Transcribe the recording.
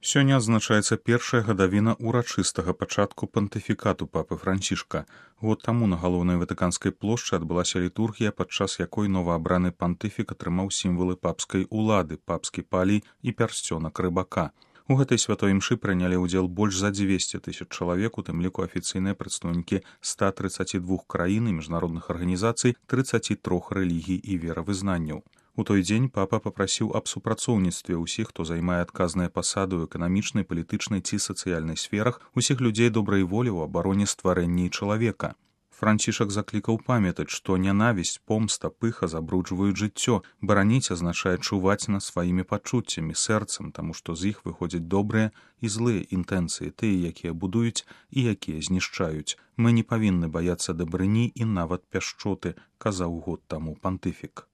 Сёння адзначаецца першая гадавіна ўрачыстага пачатку пантыфікату папы Францішка. Год таму на галоўнай ватыканскай плошчы адбылася літургія, падчас якой новаабраны пантыфік атрымаў сімвалы папскай улады, папскі палій і пярсцёнак рыбака. У гэтай святой імшы прынялі ўдзел больш за 200 000 чалавек, у тым ліку афіцыйныя прадстаўнікі 132 краін і міжнародных арганізацый 33 рэлігій і веравызнанняў. У той дзень папа папрасіў аб супрацоўніцтве ўсіх, хто займае адказныя пасады ў эканамічнай, палітычнай ці сацыяльнай сферах, усіх людзей добрай волі ў абароне стварэння і чалавека. Францішак заклікаў памятаць, што нянавісць, помста, пыха забруджваюць жыццё. Бараніць азначае чуваць над сваімі пачуццямі, сэрцам, таму што з іх выходзяць добрыя і злыя інтэнцыі, тыя, якія будуюць і якія знішчаюць. Мы не павінны баяцца дабрыні і нават пяшчоты, казаў год таму пантыфік.